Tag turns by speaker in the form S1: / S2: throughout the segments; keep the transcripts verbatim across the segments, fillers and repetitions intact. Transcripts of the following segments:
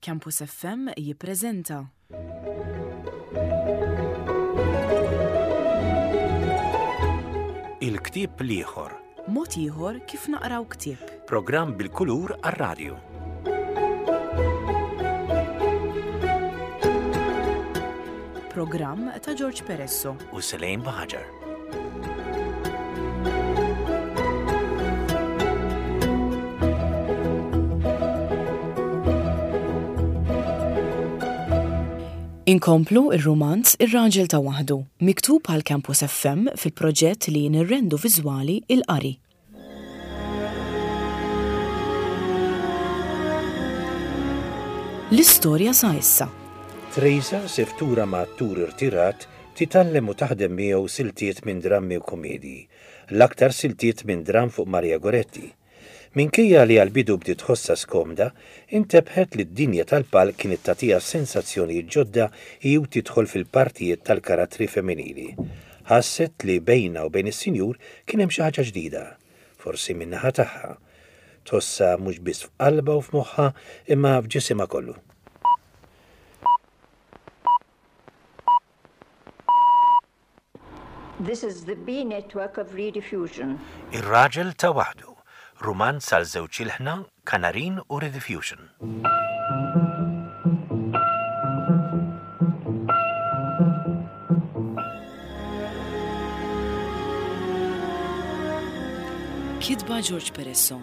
S1: Campus F M jippreżenta
S2: Il-ktieb l-ieħor.
S1: Mod ieħor kif naqraw ktieb.
S2: Programm bil-kulur għar-radju.
S1: Programm ta' George Peresso.
S2: U Selejn Baħaġar.
S1: Inkomplu ir-rumanz Ir-Raġel ta' Waħdu, miktub għal Campus F M fil-proġett li nirrendu viżwali il-qari. L-istorja sa issa.
S2: Teresa, seftura ma' attur irtirat, titgħallem u taħdem miegħu siltiet minn drammi u komedji, l-aktar siltiet minn dramm fuq Maria Goretti. Minkejja li għal-bidu bdiet tħossha skomda, intebħet li d-dinja tal-palk kienet tagħtiha sensazzjonijiet ġodda hi u tidħol fil-partijiet tal-karattri femminili. Ħasset li bejna u bejn is-sinjur kien hemm xi ħaġa ġdida, forsi min-naħa tagħha. Tħossha mhux biss f'qalbha u f'moħħha imma f'ġisimha kollu.
S3: This is the B network of Rediffusion.
S2: Ir-Raġel ta' Waħdu, rumanz għal żewġ ilħna, Kanarin u Rediffusion.
S1: Kitba George Peresso.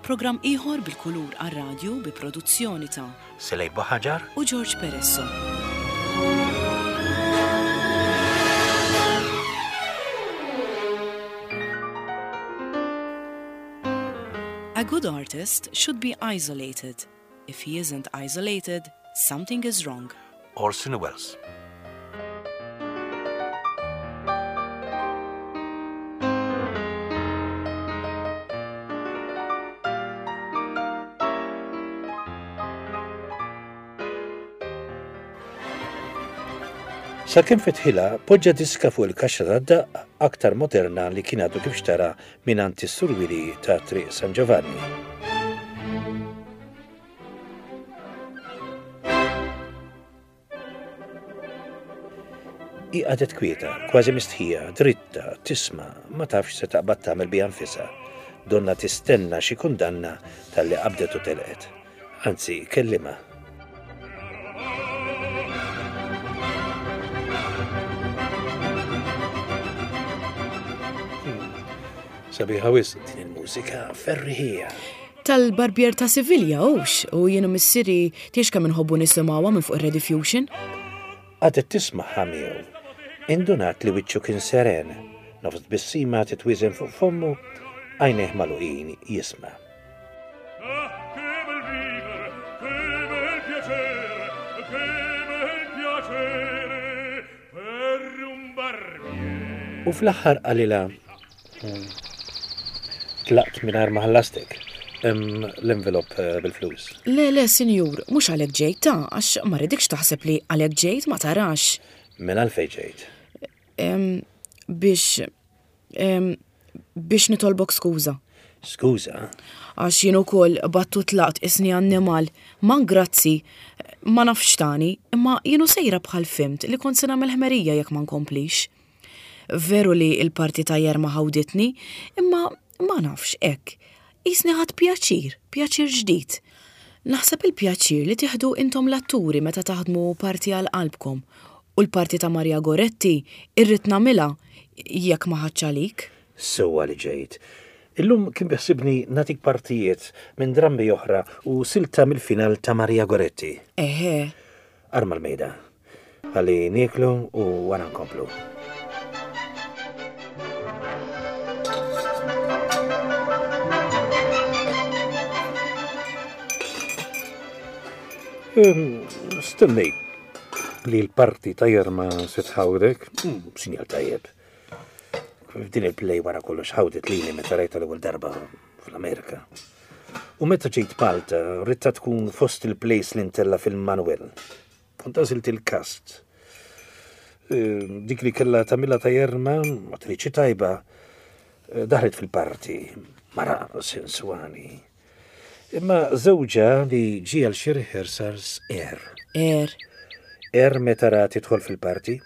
S1: Programm ieħor bil-kulur għar-radju bi produzzjoni ta'
S2: Selej Baħaġar
S1: u George Peresso. A good artist should be isolated. If he isn't isolated, something is wrong.
S2: Orson Welles. Sakemm fetħilha, poġġa diska fuq il-kaxxa tad-daqq aktar moderna li kien għadu kif xtara mingħand is-Sur Willy ta' Triq San Giovanni. Hi qagħdet kwieta, kważi mistħija, dritta, tisma', ma tafx se taqbad tagħmel biha nfisha. Donna tistenna xi kundanna talli qabdet u telqet. Anzi, kellimha. Sabiħa wisq din il-mużika ferriħija.
S1: Tal-Barbier ta' Sivilja, hux, u jienu missieri tiex kemm inħobbu nisimgħuha minn fuq ir-Rediffusion.
S2: Qagħdet tismagħha miegħu. Indunat li wiċċu kien seren, nofs tbissima titwiżen fuq fommu, għajnejh magħluqin jisma'.
S4: Ah, che bel vivere, che bel piacere, che bel piacere per un barbiere.
S2: U fl-aħħar qalilha, hmm, tlaqt mingħajr ma ħallastek. Hemm l-envelop eh, bil-flus.
S1: Le, le, sinjur, mhux għalhekk ġejt ta' għax ma rridikx taħseb li għalhekk ġejt, ma tarax.
S2: Mela għalfejn ġejt?
S1: Em, biex em, biex nitolbok skuża.
S2: Skuża?
S1: Għax jien ukoll battu tlaqt isni annimal, man grazzi, ma nafx tani, imma jienu sejra bħal fimt li kont se nagħmel ħmerija jekk ma nkomplix. Veru li l-parti ta' Jerma ħawditni, imma ma nafx hekk. Isni ħadt pjaċir, pjaċir ġdid. Naħseb il-pjaċir li tieħdu intom l-atturi meta taħdmu parti għal qalbkom. U l-parti ta' Maria Goretti irrid nagħmilha jekk ma ħadx għalik.
S2: Sewwa li ġejt. Illum kien biħsibni nagħtik partijiet minn drammi oħra u silta mill-final ta' Maria Goretti.
S1: Eħe.
S2: Arma l-mejda. Ħalli nieklu u wara nkomplu. Ehm, stennejt li l-parti ta' Jerma se tħawdek, hmm, sinjal tajjeb. Din il-play wara kollox ħawdet lili meta rajta l-ewwel darba fl-Amerika. U meta ġejt Malta, ridtha tkun fost il-plays li ntella' fil-Manuel. Kont għażilt il-cast. Ehm, dik li kellha tagħmilha ta' Jerma, attriċi tajba, eh, daħlet fil-parti, mara sensuali. Imma żewġha li ġie għal xi rehearsals er.
S1: Er.
S2: Er meta ra tidħol fil-parti.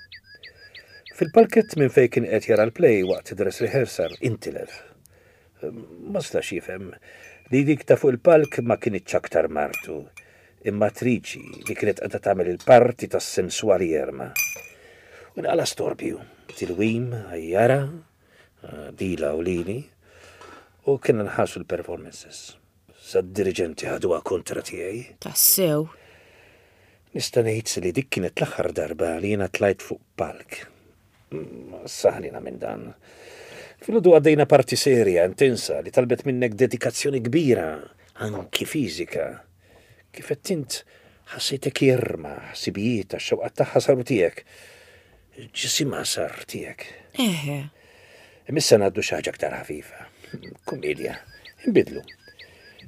S2: Fil-palkett minn fejn kien qed jara l-play waqt dress rehearsal intilef. Ma stax jifhem li dik ta' fuq il-palk ma kinitx aktar martu, imma attriċi li kienet qiegħda tagħmel il-parti tas-sensuali Jerma. U nqala storbju, tilwim, għajjara, dila u lili, u kienna nħassu l-performances. Sa d-dirigenti ħaduha kontra tiegħi.
S1: Tassew.
S2: Nista' ngħid li dik kienet l-aħħar darba li jiena tlajt fuq palk. Saħlina minn dan. Filgħodu għaddejna parti serja, intensa, li talbet minnek dedikazzjoni kbira, anki fiżika. Kif qed int ħassejtek jerma, ħsibijiet, x-xewqat tagħha saru tiegħek. Ġisimha sar tiegħek.
S1: Eħe.
S2: Imissa ngħaddu xi ħaġa aktar ħafifa. Kumedja, inbidlu.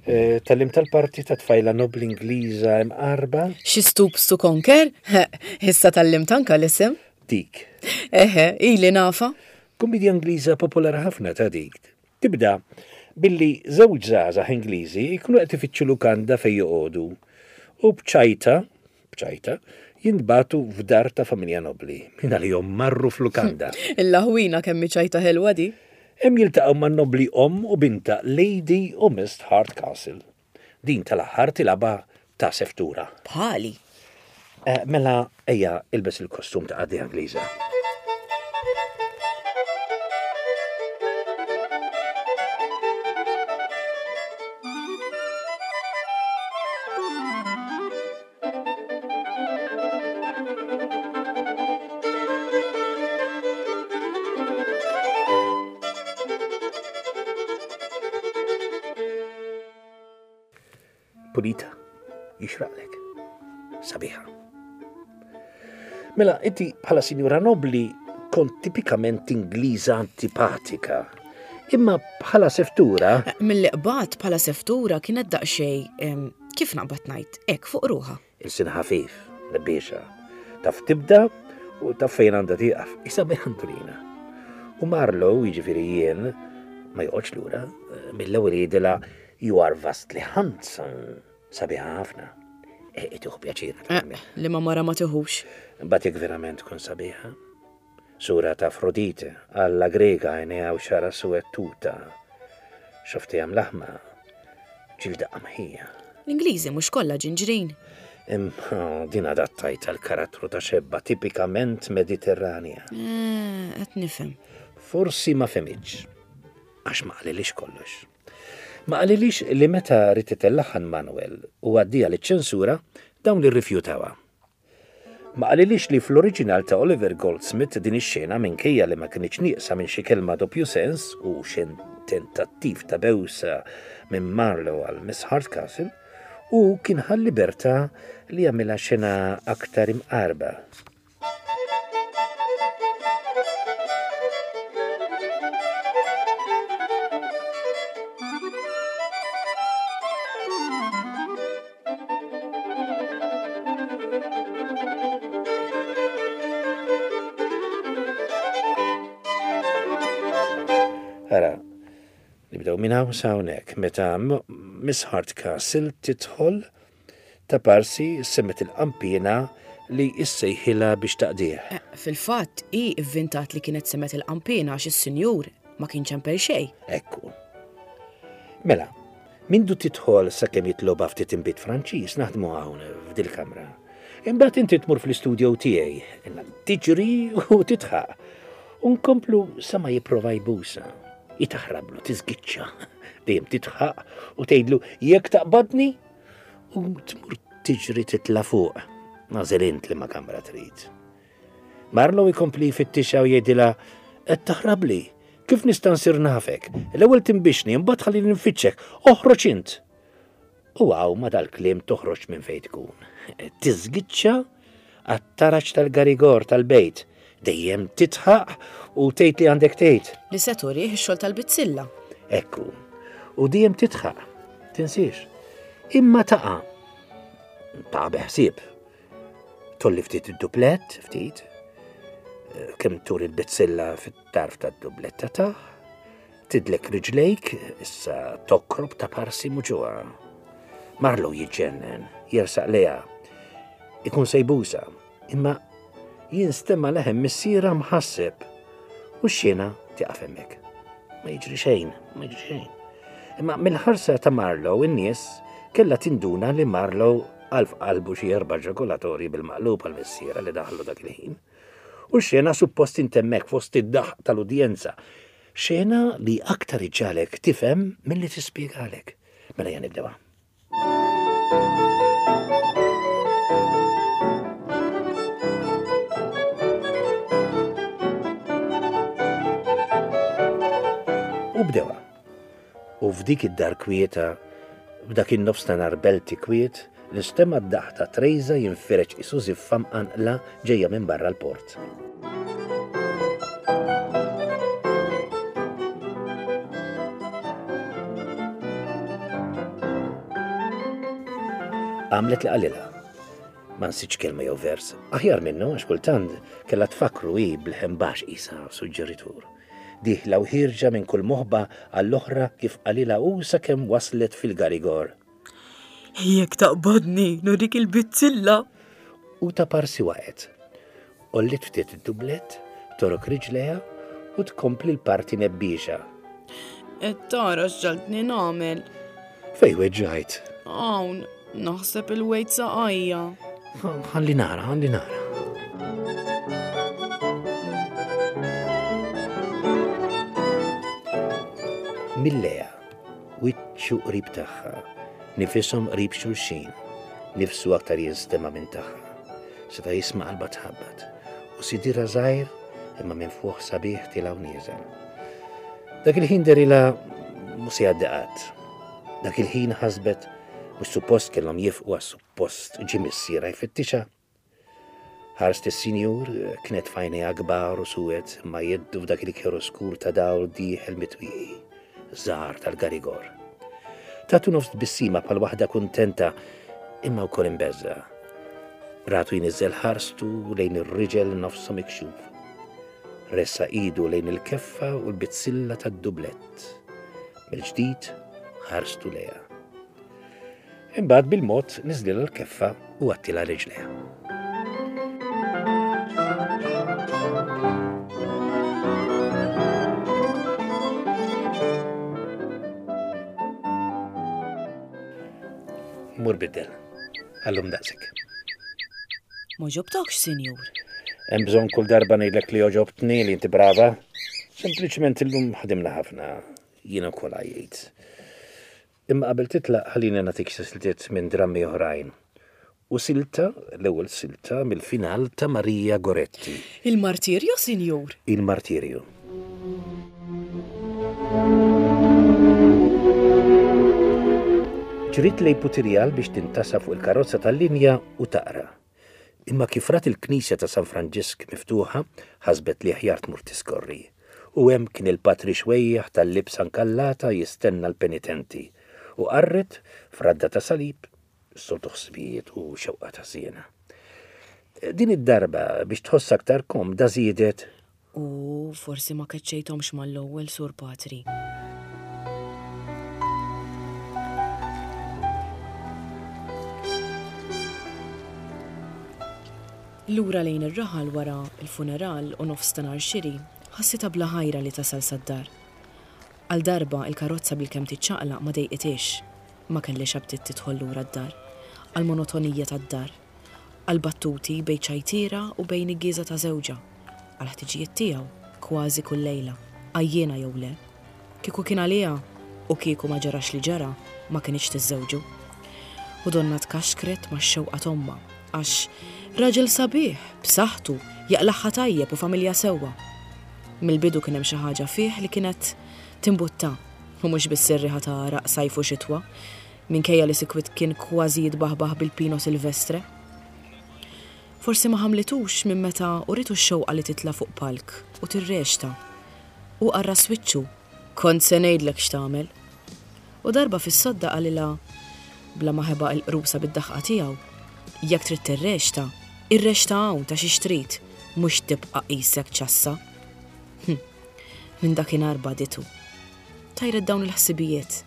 S2: Tgħallimt tal-parti ta' tfajla nobli Ingliża imqarba?
S1: She stoops to conquer? Issa tgħallimt anka l-isem?
S2: Dik.
S1: Eħe, ili nafa.
S2: Kumedja Ingliża popolari ħafna ta' dik. Tibda billi żewġ żgħażagħ Ingliżi jkunu qed ifittxu lukanda fejn joqogħdu u bċajta, bċajta, jintbagħtu f'dar ta' familja nobli. Min għalihom marru f'lukanda.
S1: Il-laħwina kemm ċajta ħelwa di.
S2: Hemm jiltaqgħu man nobli omm u binta Lady u Miss Hardcastle. Din tal-aħħar tilgħabha ta' seftura.
S1: Bħali.
S2: Eh, mela ejja ilbes il-kostum ta' qaddi Ingliża. Pulita, jixraqlek, sabiħa. Mela, inti bħala sinjura nobli kont tipikament Ingliża antipatika. Imma bħala seftura...
S1: Mill-li qbadt bħala seftura kienet daqsxejn, kif naqbad ngħid, hekk fuq ruħha.
S2: Il-sin ħafif, lebbiexa. Taf tibda u taf fejn għandha tieqaf. Isa Antolina. U Marlowe, jiġifieri jien, ma joqgħodx lura, mill-ewwel jgħidilha you are vastly handsome. Sabiħa ħafna. E, tieħu pjaċir.
S1: Li ma mara ma tiħux.
S2: Mbagħad jekk verament tkun sabiħa. Sura ta' Afrodite, alla Grega għajnejha u xara suwed tuta. Xofti għam laħma, ġilda qamħija.
S1: L-Ingliżi mhux kollha ġinġrin.
S2: Imma din adattajt għal karattru ta' xebba tipikament Mediterranja.
S1: Qed nifhem.
S2: Forsi ma fehmitx, għax ma qalilix kollox. Ma qalilix li meta ried itellaħan Manuel u għaddija liċ-ċensura dawn li rrifjutawha. Ma qalilix li fl-oriġinal ta' Oliver Goldsmith din ix-xena minkejja li ma kinitx nieqsa minn xi kelma doppju sens u xi tentattiv ta' bewsa minn Marlowe għal Miss Hardcastle, u kien ħa l-libertà li jagħmilha xena aktar imqarba. Ara, nibdew minn hawn sa hawnhekk meta Miss Hardcastle tidħol ta' parsi semmet il-qampina li issejħilha biex taqdih.
S1: Fil-fatt, hi ivvintat li kienet semmet il-qampina għax is-sinjur ma kien ċempel xejn.
S2: Ekku. Mela, mindu tidħol sakemm jitloba ftit inbid Franċiż naħdmu hawn f'dil-kamra. Imbagħad inti tmur fl-istudio tiegħi, tiġri u titħaq. U nkomplu sa ma jipprova jbusa. Jitaħrablu, tiżgiċċa, dejjem titħaq u tgħidlu jekk taqbadni u tmur tiġri titla' fuq. Nażel int li ma kamra trid. Marlowe jkompli jfittixha u jgħidilha qed taħrabli, kif nista' nsir nafek? L-ewwel timbixni, imbagħad ħallini nfittxek, oħroġ int. U hawn ma dal-kliem toħroġ minn fejn tkun. Tiżgiċċa għat-taraġ tal-garigor tal-bejt. Dejjem titħaq u tgħid li għandek tgħid.
S1: Li se turih ix-xogħol tal-bizzilla.
S2: Ekku. U dejjem titħaq, tinsiex. Imma taqa'. Taqa' beħsieb. Tolli ftit id-duplett, ftit. Kemm turi l-bizzilla fit-tarf tad-dubletta tagħ. Tidlek riġlejk, issa tokrob ta' parsi muġugħa. Marlow jiġġennen, jersaq lejha. Ikun se jbusha, imma jinstema' leħen missierha mħasseb u x-xena tieqaf hemmhekk. Ma jiġri xejn, ma jiġri xejn. Imma mill-ħarsa ta' Marlow in-nies kellha tinduna li Marlow għal f'qalbu xi erba' ġakulatorji bil-maqlub għal missierha li daħlu dak il-ħin. U x-xena suppost intemmek fost id-daħq tal-udjenza. Xena li aktar iġġagħlek tifhem milli tispjegalek. Mela ejja nibdewha. U bdewa. U f'dik id-dar kwieta, f'dak in-nofs ta' nhar belti kwiet, nistema' d-daħq ta' Trejża jinfireġ qisu żiffa mqanqla ġejja minn barra l-port. Għamlet li qalilha. Ma nsitx kelma jew vers. Aħjar minnu għax kultant kellha tfakkru hi bl-ħen baxx qisha suġġeritur. Dieħla u ħierġa minn kull moħba għall-oħra kif qalilha hu sakemm waslet fil-garigor.
S1: Jekk taqbadni, nurik il-bizzilla.
S2: U ta' parsi waqgħet. Għolliet ftit id-dublett, torok riġlejha u tkompli l-parti nebbiexa.
S1: Qed tara x'ġaltni nagħmel.
S2: Fejn weġġajt?
S1: Hawn, naħseb il-wejt saqajja.
S2: Ħalli nara, ħalli nara. Milleja, wiċċu qrib tagħha, nifishom qrib xulxin, nifsu aktar jinstema' minn tagħha. Seta' jisma' qalbha tħabbat u sidira żgħir imma minn fuq sabiħ tilgħu nieżel. Dak il-ħin derilha mhux se jgħaddi qatt. Dak il-ħin ħasbet mhux suppost kellhom jifqu għas suppost ġie missierha jfittixha. Ħarst is-sinjur kienet f'għajnejha kbar u suwed ma jeddu f'dak il-kjeroskur ta' dawl dieħel mitwieqi, żgħar tal-garigor. Tatu nofs tbissima bħal waħda kuntenta imma wkoll imbeżża. Ratu jniżżel ħarstu lejn ir-riġel nofsu mikxuf. Ressa idu lejn il-keffa u l-bizzilla tad-dublett. Mill-ġdid ħarstu lejha. Imbagħad bil-mod niżlilha l-keffa u għattilha riġlejha. Mur biddel. Għallum daqsik.
S1: Ma ġobtokx, sinjur.
S2: Hemm bżonn kull darba ngħidlek li oġobtni li inti brava. Sempliċement illum ħadimna ħafna. Jiena wkoll għajjejt. Imma qabel titlaq ħallini nagħtik xi siltiet minn drammi oħrajn. U silta, l-ewwel silta mill-final ta' Maria Goretti.
S1: Il-martirju, sinjur?
S2: Il-martirju. Ġrid lej Putirjal biex tintasa fuq il-karozza tal-linja u taqra. Imma kif rat il-knisja ta' San Franġisk miftuħa, ħasbet li aħjar tmur tiskorri. U hemm kien il-patri xwejjaħ tal-libsa nkallata jistenna l-penitenti. U qarret f'radda ta' salib, soltu ħsibijiet u xewqa ta' żiena. Din id-darba biex tħoss aktar komda żiedet.
S1: U forsi ma keċċejthomx mal-ewwel, Sur Patri. Lura lejn ir-raħal wara il-funeral u nofs ta' nhar xiri, ħassitha bla ħajra li tasal sad-dar. Għal darba il-karozza bilkemm tiċċaqlaq ma dejqitix, ma kellix aptit tidħol lura d-dar, għal monotonija tad-dar, għal battuti bejn ċajtiera u bejn iggieża ta' żewġha, għal ħtiġijiet tiegħu kważi kull lejla, għajjiena jew le. Kieku kien għaliha u kieku ma ġarax li ġara, ma kinitx tiżżewġu. U donna tkaxkret max-xewqa t'ommha, għax raġel sabiħ, b'saħħtu, jaqlaħħa tajjeb u familja sewwa. Mill-bidu kien hemm xi ħaġa fih li kienet timbutta, u mhux biss ir-riħa ta' għaraq sajf u xitwa, minkejja li sikwit kien kważi jitbaħbaħ bil-Pino Silvestre. Forsi ma ħamlitux minn meta uritu x-xewqa li titla' fuq palk u tirrexta. U qarra swiċċu, kont se ngħidlek x'tagħmel. U darba fis-sodda qalilha bla ma ħeba l-qrusa bid-daħqa tiegħu, jekk trid tirrexta, irrexta hawn ta' xi trid, mhux tibqa' qisek ċassa. Hm. Minn dakinhar baditu. Tajret dawn il-ħsibijiet.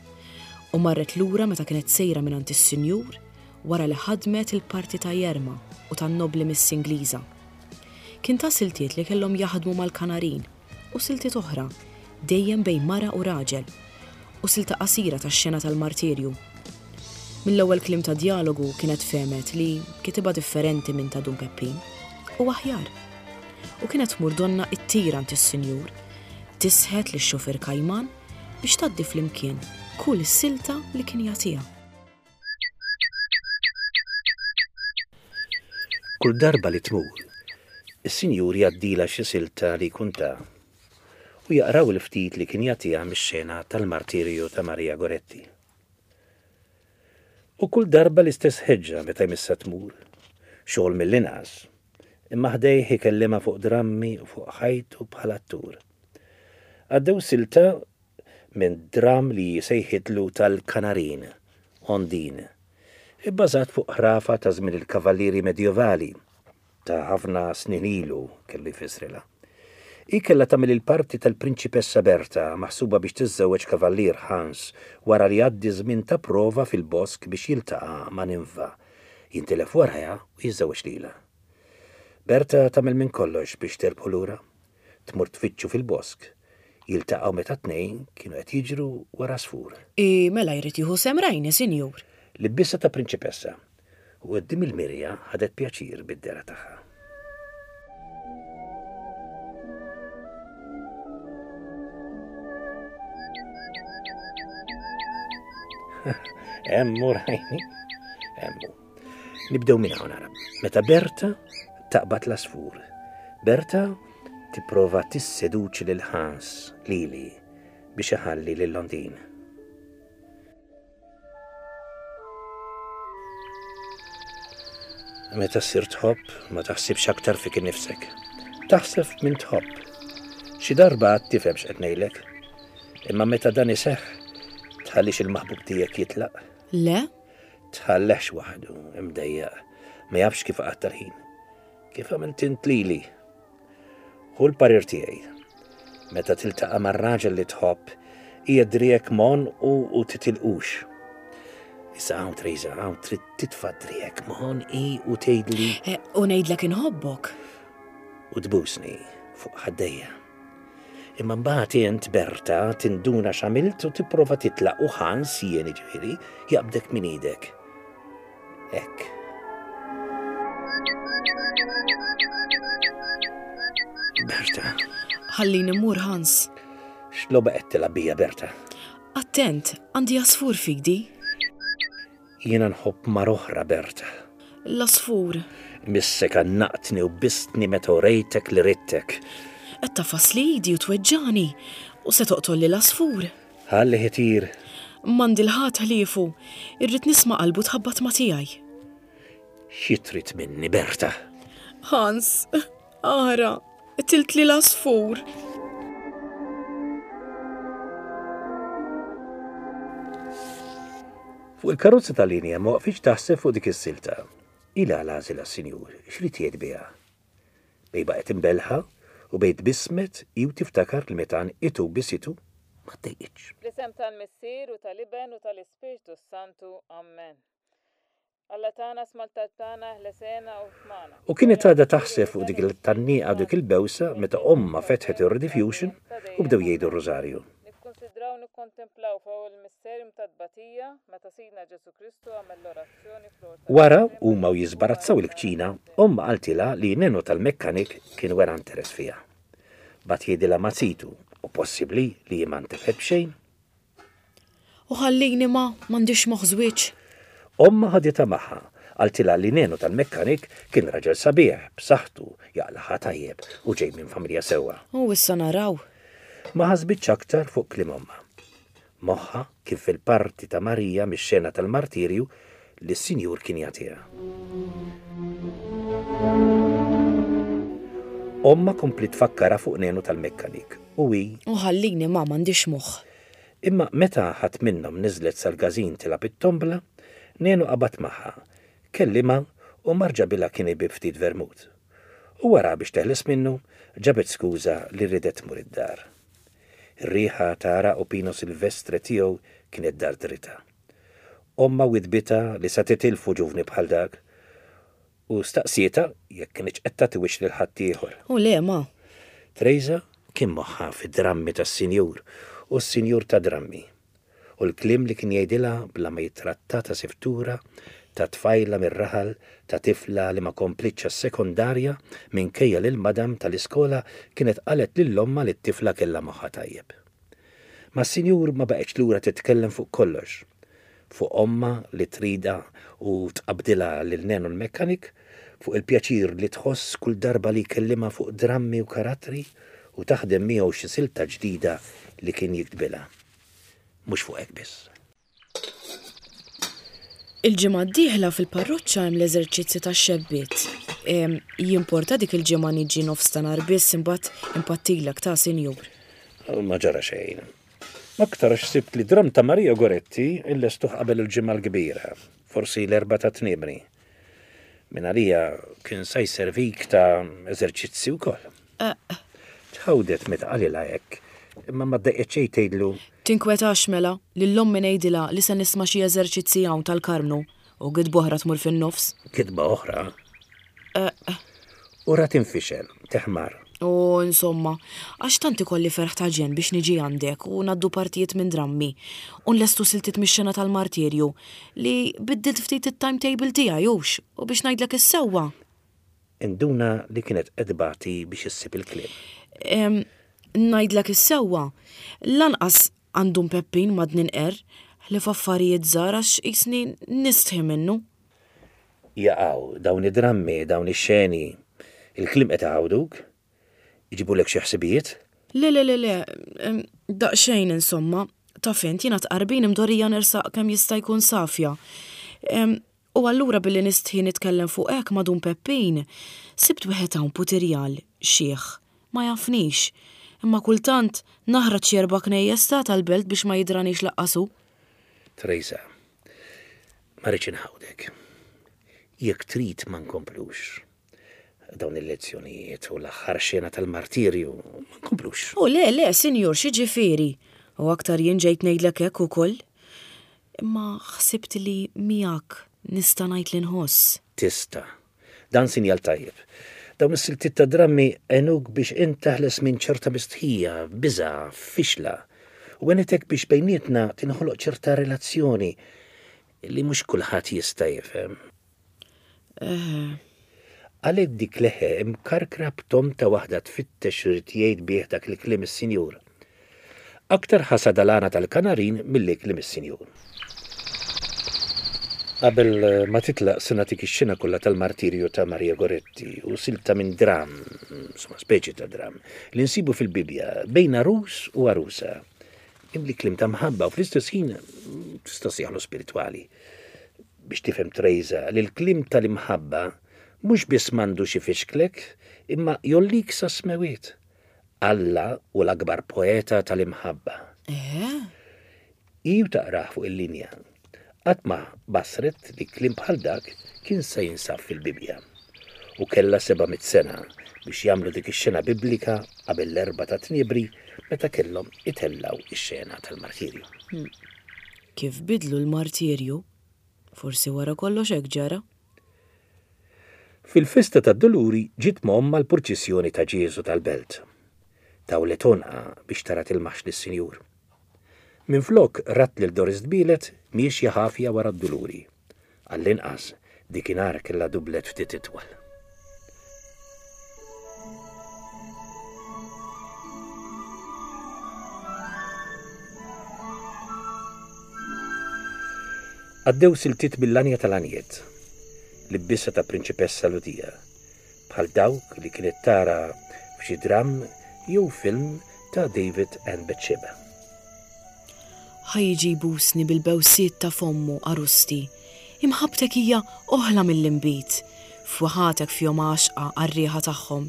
S1: U marret lura meta kienet sejra mingħand is-sinjur wara li ħadmet il-parti ta' Jerma u tan-nobli Miss Ingliża. Kien ta' siltiet li kellhom jaħdmu mal-kanarin u siltiet oħra dejjem bejn mara u raġel u silta qasira tax-xena tal-martirju. Mill-ewwel kliem ta' djalogu kienet fehmet li kitibha differenti minn ta' Dun Peppin u aħjar. U kienet tmur donna it-tira għand is-sinjur, tisħet lix-xufier Kajman biex tgħaddi flimkien kull silta li kien jagħtiha.
S2: Kull darba li tmur, is-sinjur jgħaddilha xi silta li jkun ta u jaqraw il-ftit li kien jagħtiha mix-xena tal-martirju ta' Maria Goretti. U kull darba l-istess ħeġġa meta jmissha tmur, xogħol mill-inqas, imma ħdejh ikellimha fuq drammi u fuq ħajtu bħala attur. Għaddew silta minn dramm li sejħitlu tal-Kanarin, Ondin, ibbażat fuq ħrafa ta' żmien il-kavallieri medjevali ta' ħafna snin ilu kellu jfissrilha. Hi kellha tagħmel il-parti tal-Prinċipessa Berta maħsuba biex tiżżewweġ kavallier Hans wara li jgħaddi żmien ta' prova fil-bosk biex jiltaqa' ma' ninfa, jintilef warajha u jiżżewweġ lilha. Berta tagħmel minn kollox biex terbħu lura, tmur tfittxu fil-bosk, jiltaqgħu meta tnejn kienu qed jiġru wara għasfur.
S1: I mela jrid jieħu sehem rajni, sinjur.
S2: Libbisha ta' prinċipessa u quddiem il-mirja ħadet pjaċir bid-dehra tagħha. Emmu rajni, emmu. Nibdew minn hawn ara. Meta Berta taqbad l-għasfur. Berta tipprova tisseduċi lil Hans, lili, biex iħalli lil Londin. Meta ssir tħobb, ma taħsibx aktar fik innifsek. Taħseb min tħobb. Xi darba għad tifhem x'qed ngħidlek. Imma meta dan iseħħ, tħallix il-maħbub tiegħek jitlaq.
S1: Le?
S2: Tħallehx waħdu, imdejjaq, ma jafx kif qatta l-ħin. Kif għamilt int lili? Hu l-parir tiegħi. Meta tiltaqa' mar-raġel li tħobb, hija driegħek mon u, u titilqux. Issa hawn Teresa, hawn trid titfa' driegħek mon i u tgħidli
S1: Eh, U ngħidlek inħobbok.
S2: u tbusni fuq ħaddejja. Imma mbagħad int Berta tinduna x'għamilt u tipprova titlaq u Hans jien jiġifieri jaqbdek minn idek. Hekk. Berta,
S1: Ħallini mmur Hans.
S2: x'logħba qed tilgħab bija Berta?
S1: Attent, għandi għasfur f'idi.
S2: Jiena nħobb mara oħra Berta.
S1: L-għasfur.
S2: Missek għannaqtni u bistni meta urejtek li ridtek.
S1: Qed tafasli idi u tweġġani u se toqtolli l-għasfur.
S2: Ħalli itir.
S1: M'għandi l-ħadd ħliefu, irrid nisma' qalbu tħabbat ma' tiegħi.
S2: Xi trid minni Berta?
S1: Hans, ara, qtiltli l-għasfur.
S2: Fuq il-karozza tal-linja ma waqfitx taħseb fuq dik is-silta. Ila għażilha s-sinjur, x'rid jgħid biha? Bejn baqgħet imbelħa u bejn tbissmet hi u tiftakar li meta għanqitu bisitu ma ddejqitx.
S5: Bl-isem tal-Missier u tal-Iben u tal-Ispirtu s-Santu. Amen. Alla tagħna sma' l-talb tagħna, ħlesena u fmana.
S2: U kienet għadha taħseb fuq dik il-tgħanniqa u dik il-bewsa meta ommha fetħet ir-rediffusion u bdew jgħidu r-rużarju.
S5: Nikkonsidraw nikkontemplaw fuq il-misterium tat-tbatija meta Sidna Ġesu Kristu għamel l-orazzjoni fl-ora
S2: Wara huma u jiżbarazzaw il-kċina, ommha qaltilha li Nenu tal-mekkanik kien wera interess fiha. Bagħat jgħidilha ma' zitu u possibbli li ma ntefgħet b'xejn.
S1: U ħallini ma, m'għandix moħħ żwieġ.
S2: Ommha ħaditha magħha, qaltilha li Nenu tal-mekkanik kien raġel sabiħ, b'saħħtu, jaqlaħa tajjeb u ġej minn familja sewwa.
S1: U issa naraw.
S2: Ma ħasbitx aktar fuq kliem ommha. Moħħa kien fil-parti ta' Marija mix-xena tal-martirju li s-sinjur kien jagħtiha. Ommha kompli tfakkarha fuq Nenu tal-mekkanik u hi
S1: U ħallini ma, m'għandix moħħ.
S2: Imma meta ħadd minnhom niżlet sal-każin tilgħab it-tombla, Nenu qabad magħha, kellimha u mar ġabilha kien ibib ftit vermut. U wara biex teħles minnu, ġabet skuża li ridet tmur id-dar. Ir-riħa ta' għaraq u Pino Silvestre tiegħu kienet dardritha. Ommha widbitha li sa titilfu ġuvni bħal dak u staqsietha jekk kinitx qed tagħti wiċċ lil ħaddieħor.
S1: U le, ma.
S2: Trejża kien moħħha fid-drammi tas-sinjur u s-sinjur tad-drammi u l-kliem li kien jgħidilha bla ma jittratta ta' siftura, ta' tfajla mir-raħal, ta' tifla li ma komplitx għas-sekondarja minkejja li l-madam tal-iskola kienet qalet lil ommha li t-tifla kellha moħħha tajjeb. Mas-sinjur ma baqgħetx lura titkellem fuq kollox. Fuq ommha li tridha u tqabbdilha lil Nenu l-mekkanik, fuq il-pjaċir li tħoss kull darba li jkellimha fuq drammi u karattri u taħdem miegħu xi silta ġdida li kien jiktbilha. Mhux fuq hekk biss.
S1: Il-ġimgħa d-dieħla fil-parroċċa hemm l-eżerċizzi tax-xebbiet. Jimporta dik il-ġimgħa niġi nofs ta' nhar biss imbagħad impattilek ta' sinjur.
S2: Ma ġara xejn. Aktar għax sibt li dramm ta' Maria Goretti illestuh qabel il-Ġimgħa l-Kbira, forsi l-Erbgħa ta' Tniemri. Minn għalija kien sa jservik ta' eżerċizzi wkoll. Tħawdet meta qalilha hekk, imma ma ddejqet xejn tgħidlu.
S1: Tinkwetax mela, lil ommi ngħidilha li se nisma' xi eżerċizzi hawn tal-Karmnu u gidba oħra tmur fin-nofs.
S2: Gidba oħra? U ra tinfixel, teħmar.
S1: U insomma, għax tant ikolli ferħ ta' ġenn biex niġi għandek u ngħaddu partijiet minn drammi u nlestu siltiet mix-xena tal-martirju li biddilt ftit it-timetable tiegħi hux u biex ngħidlek is-sewwa.
S2: Induna li kienet qed tbati biex issib il-kliem.
S1: Ngħidlek is-sewwa, lanqas għandum Peppin madni nqerr ħlief affarijiet żgħar għax qisni nistħi minnu.
S2: Jaqgħu dawn id-drammi, dawn ix-xeni, il-kliem qed iħawduk? Iġibulek xi ħsibijiet?
S1: Le, le, le, le, daqsxejn insomma, taf int jiena tqarbin imdorrija nersaq kemm jista' jkun safja. U allura billi nistħi nitkellem fuq hekk ma' Dun Peppin, sibt wieħed hawn putirjal, xiħ, ma jafnix, imma kultant naħraġ xi erba' knejjes ta' tal-belt biex ma jidranix laqqas hu.
S2: Teresa, ma rridx inħawdek. Jekk trid ma nkomplux. Dawn il-lezzjonijiet u l-aħħar xena tal-martirju ma nkomplux.
S1: U le, le, sinjur, xi ġifieri? U aktar jien ġejt ngħidlek hekk ukoll. Imma ħsibt li miegħek nista' ngħid li nħoss.
S2: Tista'. Dan sinjal tajjeb. Dawn is-siltiet ta' drammi għenuk biex int teħles minn ċerta mistħija, biża', fixla. U għenitek biex bejnietna tinħoloq ċerta relazzjoni li mhux kulħadd jista' jifhem.
S1: Eh.
S2: Għalhekk dik leħe imkarkra b'tom ta' waħda tfittex irid jgħid bih dak il-kliem is-sinjur. Aktar ħasad għal-għana tal-kanarin milli kliem is-sinjur. Qabel ma titlaq se nagħtik ix-xena kollha tal-martirju ta' Maria Goretti u silta minn dram, insomma speċi ta' dram, li nsibu fil-Bibbja bejn għarus u għarusa. Imli kliem ta' mħabba u fl-istess ħin tista' sejħlu spiritwali. Biex tifhem Teresa li l-kliem tal-imħabba mhux biss m'għandux ifixklek, imma jollik sa smewiet. Alla hu l-akbar poeta tal-imħabba.
S1: Eh?
S2: Hi u taqrah fuq il-linja. Qatt ma basret li kliem bħal dak kien se jinsab fil-Bibbja. U kellha seba' mitt sena biex jagħmlu dik ix-xena biblika qabel l-Erbgħa ta' Tniebri meta kellhom itellgħu ix-xena tal-martirju.
S1: Hmm. Kif bidlu l-martirju? Forsi wara kollox hekk ġara.
S2: Fil-festa tad-Duluri ġiet m'ommha l-purċissjoni ta' Ġieżu tal-Belt. Tawlet għonqa biex tara tilmaħx lis-Sinjur. Minflok rat lil Doris Tbielet miexja ħafja wara d-Duluri. Għall-inqas dikinhar kellha dublet ftit itwal. Għaddew siltiet mill-anja tal-anjiet, l-ibbissa ta' prinċipessa Lutija, bħal dawk li kienet tara f'xi dramm jew film ta' David and Bathsheba.
S1: Ħa jiġi jbusni bil-bewsiet ta' fommu għarusti. Imħabbtek hija oħla mill-inbid, fwaħatek fihom għaxqa għar-riħa tagħhom.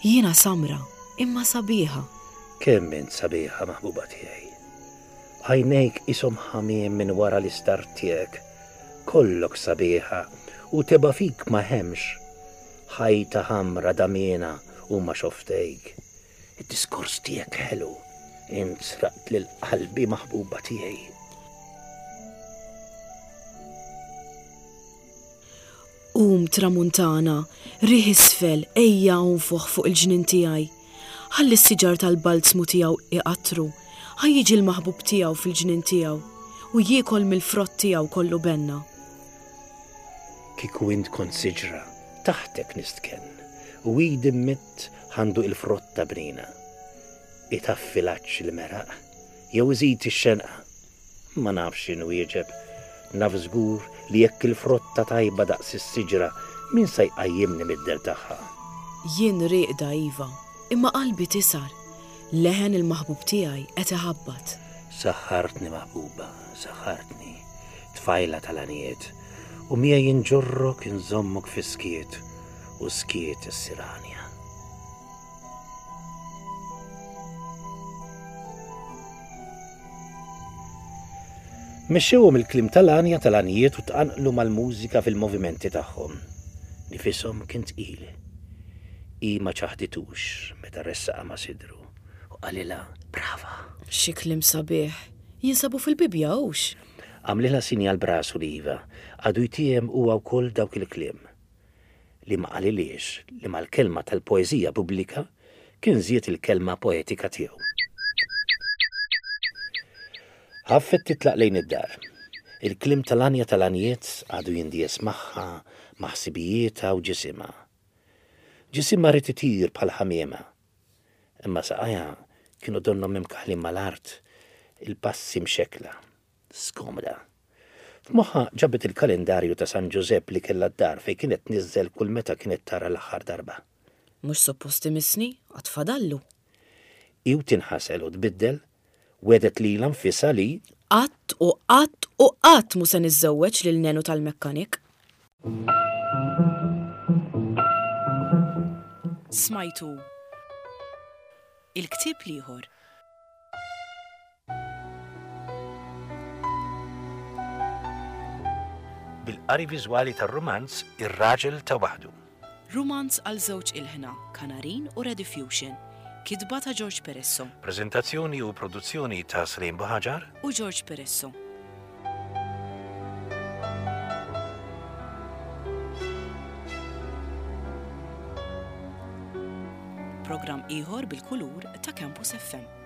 S1: Jiena samra, imma sabiħa.
S2: Kemm int sabiħa maħbuba tiegħi. Għajnejk ishom ħamiem minn wara l-istar tiegħek. Kollok sabiħa u teba' fik ma hemmx. Ħajta ħamra damiena huma xoftejk. Id-diskors tiegħek ħelu. Int sraqt lil qalbi maħbuba tiegħi.
S1: Qum tramuntana, riħ isfel, ejja unfuħ fuq il-ġnien tiegħi. Ħalli s-siġar tal-balzmu tiegħu iqattru, ħa jiġi l-maħbub tiegħu fil-ġnien tiegħu u jiekol mill-frott tiegħu kollu benna.
S2: Kieku int kont siġra, taħtek nistkenn, u idi mmidd ħa nduq il-frotta bnina. Itaffi l-għatx il-meraq, jew iżid ix-xenqa. Ma nafx x'inwieġeb, naf żgur li jekk il-frotta tajba daqs is-siġra, min sa jqajjimni mid-dell tagħha?
S1: Jien rieqda iva, imma qalbi tisar. Leħen il-maħbub tiegħi qed iħabbat.
S2: Saħħartni maħbuba, saħħartni, tfajla tal-għaniet, u miegħi inġorrok inżommok fis-skiet, u skiet issir għanja. Mexxewhom il-kliem tal-għanja tal-għanijiet u tqanqlu mal-mużika fil-movimenti tagħhom. Nifishom kien tqil. Hi ma ċaħditux meta ressaqha ma' sidru u qalilha brava.
S1: Xi kliem sabiħ. Jinsabu fil-Bibbja hux?
S2: Għamlilha sinjal b'rasu li iva, għadu jtiehem huwa wkoll dawk il-kliem. Li ma qalilhiex li mal-kelma tal-poeżija pubblika kien żied il-kelma poetika tiegħu. Ħaffet titlaq lejn id-dar. Il-kliem tal-għanja tal-għanijiet għadu jindies magħha, ma' ħsibijietha u ġisimha. Ġisimha ried itir bħal ħamiema. Imma saqajha kienu donnhom imkaħlin mal-art, il-passi mxekkla, skomda. F'moħħha ġabet il-kalendarju ta' San Ġużepp li kellha d-dar fejn kienet tniżżel kull meta kienet tara l-aħħar darba.
S1: Mhux suppost imissni, għad fadallu.
S2: Hi u tinħasel u tbiddel, wegħdet lilha nfisha li
S1: Qatt u qatt u qatt mhu se niżżewweġ lil nenu tal-mekkanik. Smajtu Il-ktieb l-ieħor.
S2: Bil-qari viżwali tar-rumanz Ir-Raġel ta' Waħdu.
S1: Rumanz għal żewġ ilħna, Kanarin u Rediffusion. Kitba ta' George Peresso.
S2: Preżentazzjoni u produzzjoni ta' Slim Buhaġar
S1: u George Peresso. Programm ieħor bil-kulur ta' Campus F M.